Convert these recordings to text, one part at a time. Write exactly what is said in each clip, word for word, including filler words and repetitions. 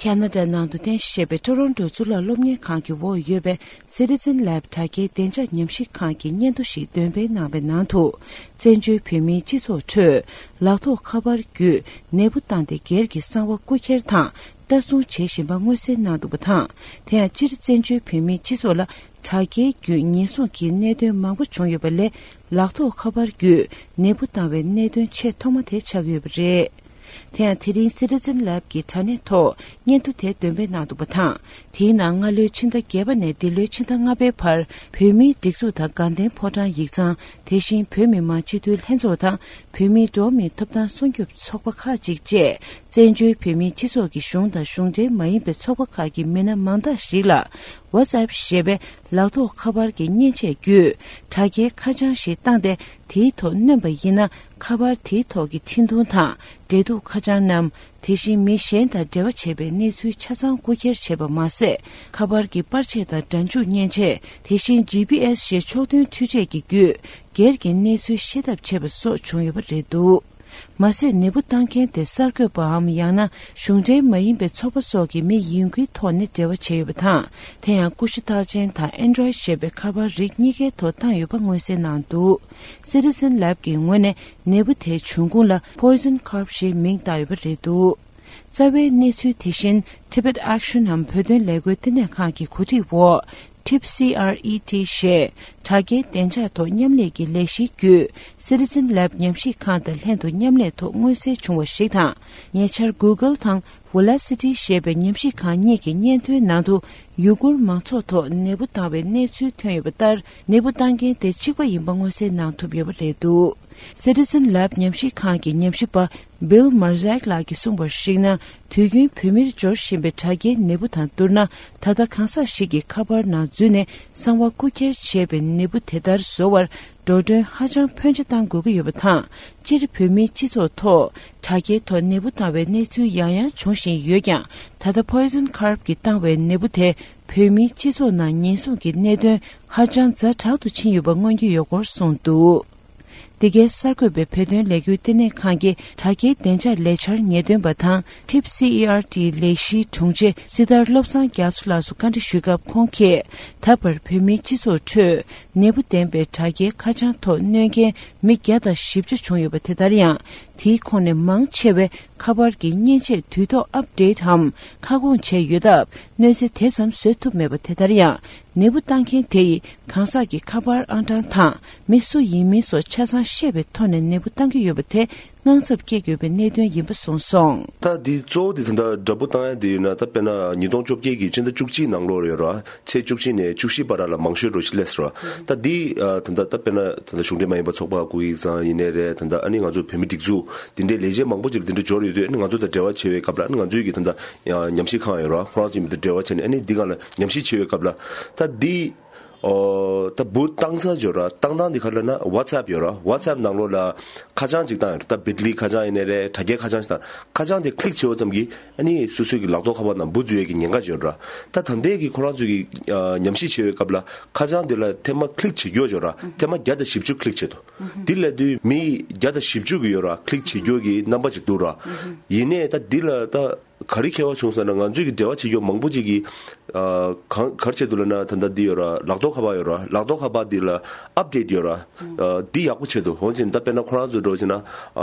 ཁ་ན་ཌ་ནང་དུ་རྟེན་གཞི་བྱས་པའི་ཀྲོ་རོན་ཀྲོ་གཙུག་ལག་སློབ་གཉེར་ཁང་གི་འོག་ཡོད་པའི་Citizen Lab་དྲ་རྒྱའི་བདེ་འཇགས་ཉམས་ཞིབ་ཁང་གི་སྙན་ཐོ་ཞིག་འདོན་སྤེལ་གནང་བའི་ནང་དུ། བཙན་བྱོལ་བོད་མིའི་སྤྱི་ཚོགས་ཁྲོད་ལག་ཐོགས་ཁ་པར་བརྒྱུད་ནད་འབུ་བཏང་སྟེ་སྒེར་གྱི་གསང་བ་རྐུ་འཁྱེར་དང་ལྟ་སྲུང་བྱེད་བཞིན་པ་མངོན་གསལ་གནང་འདུག་པ་དང་། དེ་ཡང་སྤྱིར་བཙན་བྱོལ་བོད་མིའི་སྤྱི་ཚོགས་ལ་དྲ་རྒྱའི་བརྒྱུད་ཉེན་སྲུང་གི་གནད་དོན་མང་པོ་བྱུང་ཡོད་པ་ལས། ལག་ཐོགས་ཁ་པར་བརྒྱུད་ནད་འབུ་བཏང་བའི་གནད་དོན་ཆེས་ཐོག་མ་དེ་ཆགས་ཡོད་པ་རེད། དེ་ཡང་དེ་རིང་Citizen Lab་གི་དྲ་གནས་ཐོག་སྙན་ཐོ་དེ་འདོན་སྤེལ་གནང་འདུག་པ་དང་། དེའི་ནང་སྔ་ལོའི་ཕྱི་ཟླ་བརྒྱད་པ་ནས་འདི་ལོའི་ཕྱི་ཟླ་ལྔ་པའི་བར་བོད་མིའི་སྒྲིག་འཛུགས་དང་དགའ་ལྡན་ཕོ་བྲང་ཡིག་ཚང་། དེ་བཞིན་བོད་མི་མང་སྤྱི་འཐུས་ལྷན་ཚོགས་དང་བོད་མིའི་འགྲོ་བ་མིའི་ཐོབ་ཐང་སྲུང་སྐྱོབ་ཚོགས་པ་ཁག་ཅིག་བཅས། བཙན་བྱོལ་བོད་མིའི་སྤྱི་ཚོགས་ཀྱི་གཞུང་དང་གཞུང་འབྲེལ་མ་ཡིན་པའི་ཚོགས་པ་ཁག་གི་མི་སྣ་མང་དག་ཞིག་ལ་WhatsApp་ཞེས་པའི་ལག་ཐོགས་ཁ་པར་གྱི་མཉེན་ཆས་བརྒྱུད་དྲ་རྒྱའི་ཁ་བྱང་ཞིག་བཏང་སྟེ། དེའི་ཐོག་གནོན་པ་ཡིན་ན། ཁ་པར་དེའི་ཐོག་གི་འཕྲིན་ཐུང་དང་འབྲེལ་གཏུག་ཁ་བྱང་རྣམས། དེ་བཞིན་མི་གཞན་དང་འབྲེལ་བ་བྱས་པའི་གནས་ཚུལ་ཆ་ཚང་རྐུ་འཁྱེར་བྱས་པ་མ་ཟད། ཁ་པར་གྱི་པར་ཆས་དང་སྒྲ་འཇུག་མཉེན་ཆས། དེ་བཞིན་ཇི་པི་ཨེས་ཞེས་ཕྱོགས་མཐུན་འཕྲུལ་ཆས་ཀྱི་བརྒྱུད་སྒེར་གྱི་གནས་ཚུལ་ཤེས་ཐབས་བྱས་པ་སོགས་བྱུང་ཡོད་པ་རེད་འདུག་མ་ཟད། ནད་འབུ་བཏང་མཁན་དེ་གསར་འགོད་པའམ་ཡང་ན་གཞུང་འབྲེལ་མ་ཡིན་པའི་ཚོགས་པ་སོགས་ཀྱི་མི་ཡིན་ཁུལ་ཐོག་ནས་འབྲེལ་བ་བྱས་ཡོད་པ་དང་། དེ་ཡང་ཀུ་ཤུ་རྟགས་ཅན་དང་Android་ཞེས་པའི་ཁ་པར་རིགས་གཉིས་ཀའི་ཐོག་བཏང་ཡོད་པ་མངོན་གསལ་གནང་འདུག Citizen Lab་གི་ངོས་ནས་ནད་འབུ་དེའི་འབྱུང་ཁུངས་ལ་Poison Carp་ཞེས་མིང་བཏགས་ཡོད་པ་རེད་འདུག་རྩ་བའི་གནས་ཚུལ་དེ་བཞིན་Tibet Action་འམ་བོད་དོན་ལས་འགུལ་ལྟེ་གནས་ཁང་གི་གོ་སྒྲིག་འོག Tip C R E T་ཞེས་དྲ་རྒྱའི་བདེ་འཇགས་ཐོག་མཉམ་ལས་ཀྱི་ལས་གཞིའི་བརྒྱུད་Citizen Lab་ཉམས་ཞིབ་ཁང་དང་ལྷན་དུ་མཉམ་ལས་ཐོག་མངོན་གསལ་བྱུང་བ་ཞིག་དང་། ཉེ་ཆར་Google་དང་Velocity་ཞེས་པའི་ཉམས་ཞིབ་ཁང་གཉིས་ཀྱི་སྙན་ཐོའི་ནང་དུ་ཡུ་གུར་མང་ཚོགས་ཐོག་ནད་འབུ་བཏང་བའི་གནས་ཚུལ་ཐོན་ཡོད་པ་ལྟར། ནད་འབུ་བཏང་མཁན་དེ་གཅིག་པ་ཡིན་པ་མངོན་གསལ་གནང་ཐུབ་ཡོད་པ་རེད་འདུག Citizen Lab་ཉམས་ཞིབ་ཁང་གི་ཉམས་ཞིབ་པ་Bill Marzak་ལགས་ཀྱིས་གསུངས་པར་གཞིགས་ན། དུས་རྒྱུན་བོད་མིར་འབྱོར་བཞིན་པའི་དྲ་རྒྱའི་ནད་འབུ་དང་བསྡུར་ན། ད་ལྟ་གང་ཟག་ཞིག་གི་ཁ་པར་ནང་འཛུལ་ནས་གསང་བ་རྐུ་འཁྱེར་བྱས་པའི་ནད་འབུ་དེ་ལྟར་བཟོ་བར་འགྲོ་གྲོན་ཧ་ཅང་ཕོན་ཆེ་བཏང་དགོས་ཀྱི་ཡོད་པ་དང་། སྤྱིར་བོད་མིའི་སྤྱི་ཚོགས་ཐོག་དྲ་རྒྱའི་ཐོག་ནད་འབུ་བཏང་བའི་གནས་ཚུལ་ཡང་ཡང་འབྱུང་བཞིན་ཡོད་ཀྱང་། ད་ལྟ་Poison Carp་གིས་བཏང་བའི་ནད་འབུ་དེ་བོད་མིའི་སྤྱི་ཚོགས་ནང་ཉེན་སྲུང་གི་གནད་དོན་ཧ་ཅང་ཛ་དྲག་ཏུ་ཕྱིན་ཡོད་པ་མངོན་གྱི་ཡོད་སྐོར་གསུངས་འདུག་འདི་གའི་གསར་འགོད་པས་བོད་དོན་ལས་འགུལ་ལྟེ་གནས་ཁང་གི་དྲ་རྒྱའི་བདེ་འཇགས་ལས་འཆར་ངེས་སྟོན་པ་དང་། Tip C E R T་ལས་གཞིའི་དྲུང་ཆེ་སྲི་ཐར་བློ་བཟང་རྒྱ་མཚོ་ལགས་སུ་བཀའ་འདྲི་ཞུས་སྐབས། ཁོང་གིས་ད་བར་བོད་མིའི་སྤྱི་ཚོགས་ཁྲོད་ནད་འབུ་ལྡན་པའི་དྲ་རྒྱའི་ཁ་བྱང་ཐོག་གནོན་མཁན་མི་བརྒྱ་དང་བཞི་བཅུ་བྱུང་ཡོད་པ་དེ་ལྟར་ཡང་། དེའི་ཁོངས་ནས་མང་ཆེ་བས་ཁ་པར་གྱི་མཉེན་ཆས་དུས་ཐོག་ཨབ་ཌེཊ་འམ་ཁ་སྐོང་བྱས་ཡོད་སྟབས། གནོད་འཚེ་དེ་ཙམ་བཟོ་ཐུབ་མེད་པ་དེ་ལྟར་ཡང་། ནད་འབུ་བཏང་མཁན་དེ་ཡིས་གང་ཟག་གི་ཁ་པར་ཨང་གྲངས་དང་མི་སུ་ཡིན་མིན་སོགས་ཆ་ཚང་ཤེས་པའི་ཐོག་ནས་ནད་འབུ་བཏང་གི་ཡོད་པ་དེ་དངངས་འཚབ་སྐྱེ་དགོས་པའི་གནད་དོན་ཡིན་པ་གསུངས་སོང་། ད་འདི་གཙོ་བོ་དེ་ད་ལྟ་དྲ་འབུ་བཏང་ཡ་དེ་ཡོད་ན། ད་དཔེར་ན་ཉིས་སྟོང་བཅོ་བརྒྱད་ཀྱི་ཕྱི་ཟླ་བཅུ་གཅིག་ནང་ལོགས་ཡོད་ར། ཚེས་བཅུ་གཅིག་ནས་བཅུ་བཞི་བར་ལ་མང་ཤོས་འགྲོ་ཞིག་སླེབས་སོང་ར། ད་འདི་ད་ལྟ་ད་དཔེར་ན་ད་ལྟ་གཞུང་འབྲེལ་མ་ཡིན་པ་ཚོགས་པ་ཁག་ཡིག་ཚང་ཡིན་ནའི་རེད། ད་ལྟ་ཨ་ནི་ང་ཚོ་བོད་མི་སྒྲིག་འཛུགས་འདི་འདྲའི་ལས་བྱེད་མང་པོ་ཅིག་ལ་འདི་འདྲ་འབྱོར་ཡོད་དུས། ཨ་ནི་ང་ཚོ་དང་འབྲེལ་བ་བྱེད་པའི་སྐབས་ལ། ཨ་ནི་ང་ཚོའི་གི་ད་ལྟ་ཉམས་ཞིབ་ཁང་ཡོད་ར། ཁོ་རང་ཚོ་ཡིན་པ་དང་འབྲེལ་བ་བྱས་ནས། ཨ་ནི་འདི་སྒང་ལ་ཉམས་ཞིབ་བྱེད་པའི་སྐབས་ལ། ད་འདི་ཨོ། ད་འབུ་བཏང་ས་ཡོད་ར། བཏང་སྟངས་འདི་ག་ལ་ན་WhatsApp་ཡོད་ར། WhatsApp་ནང་ལོགས་ལ་ཁ་བྱང་ཅིག་བཏང་ཡོད་ར། ད་བིཊ་ལི་ཁ་བྱང་ཡིན་ནའི་རེད། དྲ་རྒྱའི་ཁ་བྱང་ཞིག་བཏང་། ཁ་བྱང་དེ་ཀླིག་བྱས་པ་ཙམ་གྱིས་ཨ་ནི་སོ་སོའི་གི་ལག་ཐོགས་ཁ་པར་ནང་འབུ་འཛུལ་ཡས་ཀྱི་ཉེན་ཁ་ཡོད་ར། ད་ད་ལྟའི་གི་ཁོ་རང་ཚོའི་གི་ཨ་ཉམས་ཞིབ་བྱེད་པའི་སྐབས་ལ་ཁ་བྱང་དེ་ལ་ཐེངས་མ་ཀླིག་བྱེད་རྒྱུ་ཡོད་ར། ཐེངས་མ་བརྒྱ་དང་བཞི་བཅུ་ཀླིག་བྱེད་དོ། དེ་ལབ་དུས་མི་བརྒྱ་དང་བཞི་བཅུ་གི་ཡོད་ར། ཀླིག་བྱེད་རྒྱུ་གི་རྣམ་པ་ཅིག་འདུག་ར། ཡིན་ནའི་ད་འདི་ལ་ད་ག་རེ་ཁྱད་པར་བྱུང་ཟེར་ན། ང་ཚོས་ཀྱི་འབྲེལ་བ་བྱེད་རྒྱུ་མང་པོ་ཅིག་གིས་ཨ་གང་ག་རེ་བྱེད་འདུག་ལབ་ན། ད་ལྟ་འདི་ཡོད་ར། ལག་ཐོགས་ཁ་པར་ཡོད་ར། ལག་ཐོགས་ཁ་པར་འདི་ལ་ཨབ་ཌེཊ་ཡོད་ར། ཨ་འདི་ཡག་པོ་བྱེད་འདུག་འོན་ཀྱང་ད་དཔེར་ན་ཁོ་རང་ཚོ་འགྲོ་བྱས་ན། ཨ་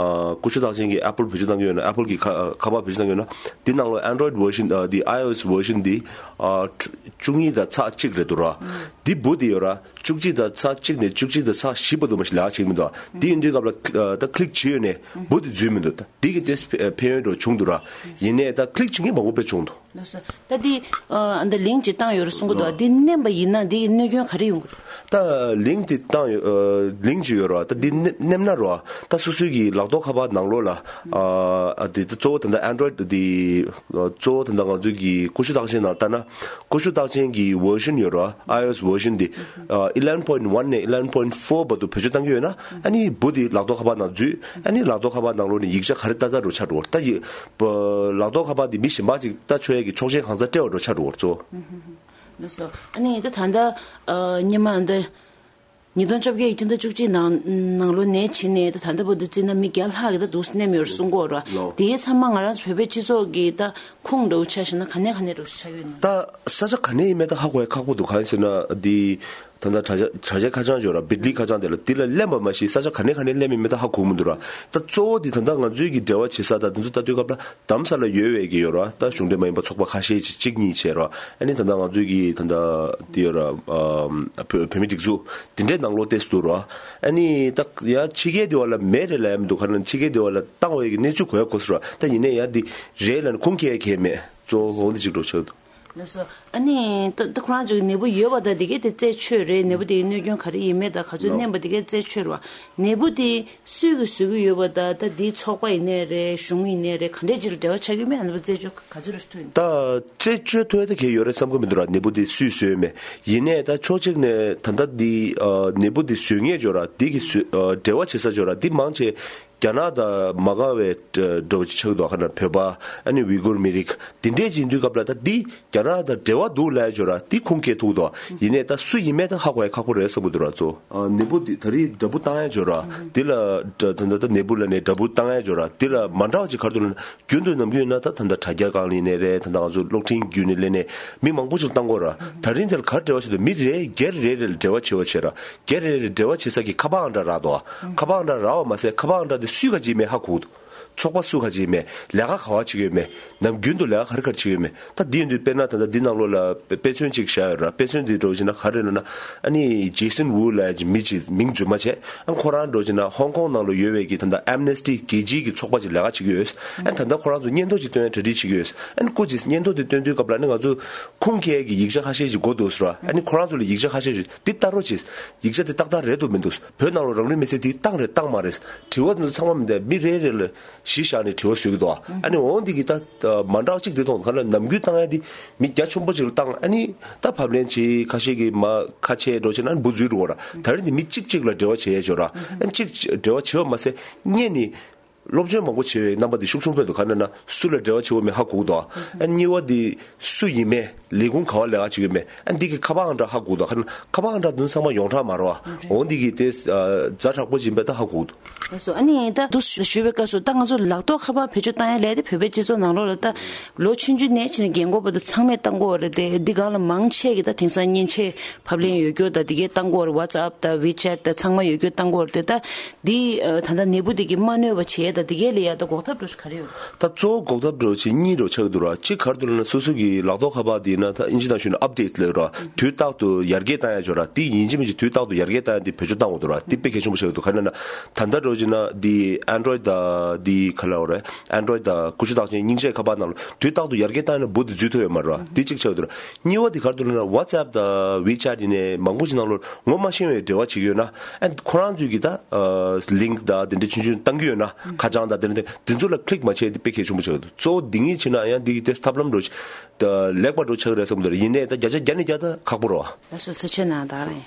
ཀུ་ཤུ་རྟགས་ཅན་གྱི་ཨེ་པལ་བེད་སྤྱོད་གཏང་གི་ཡོད་ན། ཨེ་པལ་གྱི་ཁ་ཁ་པར་བེད་སྤྱོད་གཏང་གི་ཡོད་ན། འདི་ནང་ལོགས་Android་version་ཨ་འདི་iOS་version་འདི་ཨ་བཅུ་གཉིས་དང་ཚེག་གཅིག་རེད་འདུག་ར། འདི་འབུ་འདི་ཡོད་ར། བཅུ་གཅིག་དང་ཚེག་གཅིག་ནས་བཅུ་གཅིག་དང་ཚེག་བཞི་བར་དུ་མ་ཞིག་ལས་ཀ་བྱེད་ཀྱི་མི་འདུག་འདི་ཡིན་དུས་སྐབས་ལ་ཨ་ད་ཀླིག་བྱེད་ཡོད་ནས་འབུ་འདི་འཛུལ་མི་འདུག་ད་འདི་གི་ཏོག་ཙམ་ཕན་ཡོན་འདྲ་བྱུང་འདུག་ར། ཡིན་ནའི་ད་ཀླིག་བྱེད་མཁན་མང་པོ་དཔེ་བྱུང་འདུག་ལགས་སོ། ད་འདི་ཨ་འདི་ལིང་ཅིག་བཏང་ཡོད་རེད་གསུང་གི་འདུག་འདི་མནན་པ་ཡིན་ན་འདི་གནོད་སྐྱོན་ག་རེ་ཡོང་གི་རེད། ད་ལིང་ཅིག་བཏང་ཡོད། ཨ་ལིང་ཅིག་ཡོད་ར། ད་འདི་མནན་མནན་ན་ར། ད་སོ་སོའི་གི་ལག་ཐོགས་ཁ་པར་ནང་ལོགས་ལ་ཨ་ཨ་འདི་ད་གཙོ་བོ་ད་ལྟ་Android་འདི་གཙོ་བོ་ད་ལྟ་ང་ཚོའི་གི་ཀུ་ཤུ་རྟགས་ཅན་ནང་ལྟ་ན། ཀུ་ཤུ་རྟགས་ཅན་གྱི་version་ཡོད་ར། iOS version་འདི་ཨ་eleven point one་ནས་eleven point four་བར་དུ་བེད་སྤྱོད་གཏང་གི་ཡོད་ན། ཨ་ནི་འབུ་འདི་ལག་ཐོགས་ཁ་པར་ནང་འཛུལ། ཨ་ནི་ལག་ཐོགས་ཁ་པར་ནང་ལོགས་ནས་ཡིག་ཆ་ག་རེ་ལྟ་ལྟ་འདྲ་ཆགས་འགྲོ་གི་རེད། ད་ཡི་ལག་ཐོགས་ཁ་པར་འདི་མི་གཞན་པ་ཅིག་ལྟ་ཆོག་ཡས་ཀྱི་ཆོག་མཆན་གང་ཚང་སྤྲད་པ་འདྲ་ཆགས་འགྲོ་གི་རེད་གཙོ་བོ། ལགས་སོ། ཨ་ནི་ད་ད་ལྟ་ཨ་སྔོན་མ་འདི་ ཉིས་སྟོང་བཅོ་བརྒྱད་ཀྱི་སྤྱི་ཟླ་བཅུ་གཅིག་ནང་ནང་ལོ་ནས་བྱས་ནས་ད་ད་ལྟ་བར་དུ་བརྩིས་ན་མི་བརྒྱ་ལྷག་གི་ད་འདུག་སེ་མནན་ཡོད་རེད་གསུང་གི་ཡོད་རེད་བ། ལོ། དེའི་ཚང་མ་ང་རང་ཚོ་བོད་པའི་སྤྱི་ཚོགས་ཀྱི་ད་ཁུངས་འདྲ་བོ་ཆ་བཞག་ན་ག་ནས་ག་ནས་འགྲོ་ཆགས་ཡོད་ན། ད་ས་ཆ་ག་ནས་ཡིན་མིན་ད་ཧ་གོ་ཡ་ཁག་པོ་འདུག་གང་ཡིན་ཟེར་ན་འདི། ད་ལྟ་དྲ་རྒྱ་དྲ་རྒྱའི་ཁ་བྱང་ཅིག་ཡོད་ར། བིད་ལི་ཁ་བྱང་དེ་ལ་འདི་ལ་གླེང་བ་མ་གཞི་ས་ཆ་ག་ནས་ག་ནས་གླེང་མིན་མིན་ད་ཧ་གོ་མི་འདུག་ར། ད་གཙོ་བོ་འདི་ད་ལྟ་ང་ཚོའི་གི་འབྲེལ་བ་བྱེད་ས་ད་དེ་ཚོ་ལྟ་དུས་སྐབས་ལ་རྡ་རམ་ས་ལ་ཡོད་པའི་གི་ཡོད་ར། ད་གཞུང་འབྲེལ་མ་ཡིན་པ་ཚོགས་པ་ཁ་ཤས་ཅིག་གཅིག་གཉིས་བྱས་ར། ཨ་ནི་ད་ལྟ་ང་ཚོའི་གི་ད་ལྟ་འདི་ཡོད་ར། ཨམ་བོད་བོད་མི་སྒྲིག་འཛུགས་འདི་འདྲའི་ནང་ལོགས་ཏོག་ཙམ་འདུག་ར། ཨ་ནི་ད་ཡ་ཕྱི་རྒྱལ་འདི་བ་ལ་མེད་རེད་ལབ་ཡ་མི་འདུག་ག་རེ་ལབ་ན་ཕྱི་རྒྱལ་འདི་བ་ལ་བཏང་བའི་གི་གནས་ཚུལ་གོ་ཡ་གོ་སོང་ར། ད་ཡིན་ནའི་ཡ་འདི་རེད་ལབ་ན་ཁུངས་སྐྱེལ་ཡ་གང་ཡང་མེད། གཙོ་བོ་འོ་འདི་གཅིག་འགྲོ་ཆགས་འདུག་ལགས་སོ། ཨ་ནི་ད་ད་ཁོ་རང་ཚོ་གི་ནད་འབུ་ཡོད་པ་དང་དེ་གའི་དེ་རྩད་ཆོད་རེད། ནད་འབུ་དེ་གའི་གནོད་སྐྱོན་ག་རེ་ཡིན་མེད་དང་ག་ཚོད་ལགས། མནན་པ་དེ་གའི་རྩད་ཆོད་རེད་བ། ནད་འབུ་དེ་སུས་གི་བཟོ་གི་ཡོད་པ་དང་ད་དེའི་ཚོགས་པ་ཡིན་ནའི་རེད། གཞུང་ཡིན་ནའི་རེད། ག་འདྲས་ཅིག་ལ་འབྲེལ་བ་ཆགས་ཀྱི་མེད། ཨ་ནི་རྩད་གཅོད་ག་ཚོད་རེ་ཐུབ་ཡིན། ད་རྩད་གཅོད་ཐུབ་ཡ་ད་གའི་ཡོད་རེད་བསམ་གི་མི་འདུག་ར། ནད་འབུ་དེ་སུས་བཟོས་མེད། ཡིན་ནའི་ད་ཕྱོགས་གཅིག་ནས་ད་ལྟ་འདི་ཨ་ནད་འབུ་དེ་བཟོ་མཁན་ཅིག་ཡོད་ར། དེ་གི་བཟོ་ཨ་འབྲེལ་བ་བྱེད་ས་ཅིག་ཡོད་ར། དེ་མང་ཆེ་རྒྱ་ནག་དང་མ་དགའ་བའི་འགྲོ་ཆགས་འདུག་ཁ་ན་བོད་པ་ཨ་ནི་ཝི་གུར་མི་རིགས་དེ་འདྲས་ཅིག་ཡིན་དུས་སྐབས་ལ་ད་འདི་རྒྱ་ནག་དང་འབྲེལ་བ་འདུག་ལབ་ཡ་ཅིག་ཡོད་ར། འདི་ཁུངས་སྐྱེལ་ཐུབ་འདུག་ཡིན་ནའི་ད་སུ་ཡིན་མིན་ད་ཧ་གོ་ཡ་ཁག་པོ་རེད་བསམ་གི་འདུག་ར། གཙོ་བོ་ནད་འབུ་འདི་ད་རེས་འདྲ་འབུ་བཏང་ཡ་ཅིག་ཡོད་ར། འདི་ལ་ད་ད་ད་ནད་འབུ་ལབ་ནས་འདྲ་འབུ་བཏང་ཡ་ཅིག་ཡོད་ར། འདི་ལ་མ་འདྲ་བ་ཅིག་ག་རེ་འདུག་ལབ་ན། རྒྱུན་དུ་ནམ་རྒྱུན་ཡིན་ན་ད་ད་ད་དྲ་རྒྱ་སྒང་ལ་ཡིན་ནའི་རེད། ད་ད་ང་ཚོ་གློག་འཕྲིན་བརྒྱུད་ནས་སླེབས་ནས་མི་མང་པོ་ཅིག་བཏང་གི་ཡོད་ར། ད་རིང་འདིར་ག་རེ་འབྲེལ་བ་བྱེད་འདུག་མི་རེ་སྒེར་རེ་རེ་ལ་འབྲེལ་བ་བྱེད་པ་བྱེད་ར། སྒེར་རེ་རེ་ལ་འབྲེལ་བ་བྱེད་ས་ཀྱི་ཁ་པར་ཨང་གྲངས་རག་འདུག་ཁ་པར་ཨང་གྲངས་རག་པ་མ་ཟད་ཁ་པར་ཨང་གྲངས་དེ་སུའི་ག་ཅིག་མེད་ཧ་གོ་འདུག་ཚོགས་པ་སུ་ག་ཅིག་མེད། ལས་ཀ་ག་བ་བྱེད་ཀྱི་ཡོད་མེད། ནམ་རྒྱུན་དུ་ལས་ཀ་ག་རེ་ག་རེ་བྱེད་ཀྱི་ཡོད་མེད། ད་འདི་ཡིན་དུས་དཔེར་ན་ད་ལྟ་འདི་ནང་ལོགས་ལ་དཔེ་དཔེ་མཚོན་ཅིག་བཞག་ཡོད་ར། དཔེ་མཚོན་འདི་འདྲ་བོ་བྱས་ན་ག་རེ་ལབ་ན། ཨ་ནི་ཇེ་སན་ཝུ་ལབ་ཡ་ཅིག་མི་ཅིག་མིང་རྫུན་མ་བྱས། ཨ་ཁོ་རང་འདྲ་བོ་བྱས་ན་ཧོང་ཀོང་ནང་ལ་ཡོད་པའི་གི་ད་ལྟ་ཨེམ་ནེ་སི་ཊི་རྒྱལ་སྤྱིའི་གི་ཚོགས་པ་ཅིག་ལས་ཀ་བྱེད་ཀྱི་ཡོད། ཨ་ནི་ད་ལྟ་ཁོ་རང་ཚོ་སྙན་ཐོ་ཅིག་སྟོན་ཡ་གྲ་སྒྲིག་བྱེད་ཀྱི་ཡོད། ཨ་ནི་སྐུ་མཁྱེན་སྙན་ཐོ་དེ་སྟོན་དུས་སྐབས་ལ་ཨ་ནི་ང་ཚོ་ཁུངས་སྐྱེལ་གྱི་ཡིག་ཆ་ཁ་ཤས་ཤིག་དགོས་འདུག་ཟེར་བ། ཨ་ནི་ཁོ་རང་ཚོ་ལ་ཡིག་ཆ་ཁ་ཤས་ཤིག་འདི་ལྟ་རོགས་བྱེད། ཡིག་ཆ་དེ་ཏག་ཏག་རེད་འདུག་མི་འདུག་བོད་ནང་ལ་རང་ལུས་མེར་སྲེག་དེ་བཏང་རེད་བཏང་མ་རེད། དྲི་བ་དེ་ཚོ་ཚང་མ་མི་འདུག་མི་རེ་རེ་ལ་གཞི་བཞག་ནས་དྲི་བ་བཟོ་གི་འདུག་ཨ་ནི་འོང་འདི་གི་ད་མ་འདྲ་བ་གཅིག་འདི་མཐོང་འདུག་ག་ལ་ནམ་རྒྱུན་བཏང་ཡ་འདི་མི་རྒྱ་ཆེན་པོ་ཅིག་ལ་བཏང་། ཨ་ནི་ད་ཕབ་ལེན་བྱེད། ཁ་ཤས་ཀྱིས་མ་ཁ་ཆེ་འགྲོ་བྱེད་ན་འབུ་འཛུལ་འགྲོ་བ་ར། ད་རེས་འདི་མི་གཅིག་གཅིག་ལ་འབྲེལ་བ་བྱེད་ཡ་ཅིག་ཡོད་ར། ཨ་ནི་གཅིག་འབྲེལ་བ་བྱེད་པ་མ་ཟད་སྔོན་ནས། སློབ་སྦྱོང་མང་པོ་བྱེད་པའི་རྣམ་པ་འདི་ཤུགས་ཆུང་པོ་འདུག་ག་རེ་ན་སུ་ལ་འབྲེལ་བ་བྱེད་དགོས་མེད་ཧ་གོ་གི་འདུག་ཨ་གཉིས་པ་འདི་སུ་ཡིན་མིན་ལས་ཁུངས་ག་བ་ལས་ཀ་བྱེད་ཀྱི་མེད། ཨ་འདི་གི་ཁ་པར་ཨང་གྲངས་ཧ་གོ་གི་འདུག་ག་རེ་ན་ཁ་པར་ཨང་གྲངས་འདི་ཚང་མ་ཡོངས་གྲགས་མ་རེད་བ། འོ་འདི་གི་དེ་ཛ་དྲག་པོ་ཅིག་ཡིན་པ་ད་ཧ་གོ་གི་འདུག་ལགས་སོ། ཨ་ནི་ད་དུ་ཞུ་བའི་སྐབས་སུ་ད་ང་ཚོ་ལག་ཐོགས་ཁ་པར་བེད་སྤྱོད་བཏང་ཡ་ལས་དེ་བོད་པའི་སྤྱི་ཚོགས་ནང་ལོགས་ལ་ད་ལོ་ཆུང་ཆུང་ནས་ཕྱིན་ནས་རྒན་གོག་བར་དུ་ཚང་མས་བཏང་གི་ཡོད་རེད་དེ། འདི་སྒང་ལ་མང་ཆེ་གི་ད་དེང་སང་མཉེན་ཆས་ཕབ་ལེན་ཡོད་རྒྱུ་ད་འདི་གས་བཏང་གི་ཡོད་རེད། ཝ་ཙི་ཨབ་ད་ཝི་ཆེ་ཊི་ད་ཚང་མ་ཡོད་རྒྱུ་བཏང་གི་ཡོད་རེད་དེ། ད་འདི་ཨ་ད་ལྟ་ནད་འབུ་འདི་གི་མ་གནོད་པ་བྱེད་ཡ་ད་འདི་གས་ལ་ཡ་ད་འགོག་ཐབས་འདྲ་ཞིག་ག་རེ་ཡོད་རེད། ད་གཙོ་བོ་འགོག་ཐབས་འདྲ་ཞིག་གཉིས་འདྲ་ཆགས་འདུག་ར། གཅིག་ག་རེ་འདུག་ལབ་ན་སོ་སོ་གི་ལག་ཐོགས་ཁ་པར་འདི་ན་ད་ཨིན་ཇི་ནང་ཞུས་ན་ཨབ་ཌེཊ་ལབ་ར། དུས་རྟག་ཏུ་ཡར་རྒྱས་བཏང་ཡ་ཅིག་ཡོད་ར། འདི་ཡིན་གཅིག་མིན་གཅིག་དུས་རྟག་ཏུ་ཡར་རྒྱས་བཏང་ཡ་འདི་བེད་སྤྱོད་བཏང་དགོས་འདུག་ར། འདི་དཔེ་གལ་ཆེན་པོ་ཆགས་འདུག་ག་རེ་ན་ད་ལྟ་འདྲ་ཞིག་ན་འདི་ཨན་ཌོ་རོའིཌ་དང་འདི་ག་ལབ་རེད། ཨན་ཌོ་རོའིཌ་དང་ཀུ་ཤུ་རྟགས་ཅན་སྙིང་རྗེ་ཁ་པར་ནང་ལ་དུས་རྟག་ཏུ་ཡར་རྒྱས་བཏང་ཡ་ན་འབུ་འདི་འཛུལ་ཐུབ་ཡོད་མ་རེད་ར། འདི་གཅིག་ཆགས་འདུག་ར། གཉིས་པ་འདི་ག་རེ་འདུག་ལབ་ན་ཝ་ཙི་ཨབ་དང་ཝི་ཆེ་ཊི་ཡིན་ནའི་མང་པོ་ཞིག་ནང་ལོགས་ངོ་མ་ཤེས་པའི་འབྲེལ་བ་བྱེད་ཀྱི་ཡོད་ན། ཨ་ཁོ་རང་ཚོས་ཀྱི་ད་ལིང་ཀི་དང་དེ་འདྲ་ཆུང་ཆུང་བཏང་གི་ཡོད་ན། ཁ་བྱང་དང་དེ་འདྲ་དེ་ཚོ་ལ་ཀི་ལིག་མ་བྱས་ཏེ་དཔེ་གལ་ཆེན་པོ་ཆགས་འདུག་གཙོ་བོ་འདི་གཉིས་བྱས་ན་ཡང་འདི་གི་དེ་ཐབས་ལམ་འདྲ་ཞིག་ད་ལེགས་པ་འདྲ་ཆགས་ཀྱི་རེད་བསམ་གྱི་འདུག་ཡིན་ནའི་ད་བརྒྱ་ཆ་བརྒྱ་ནས་བརྒྱ་ད་ཁག་པོ་རེད་བ། ལགས་སོ། ཐུགས་རྗེ་གནང་། ད་རེད།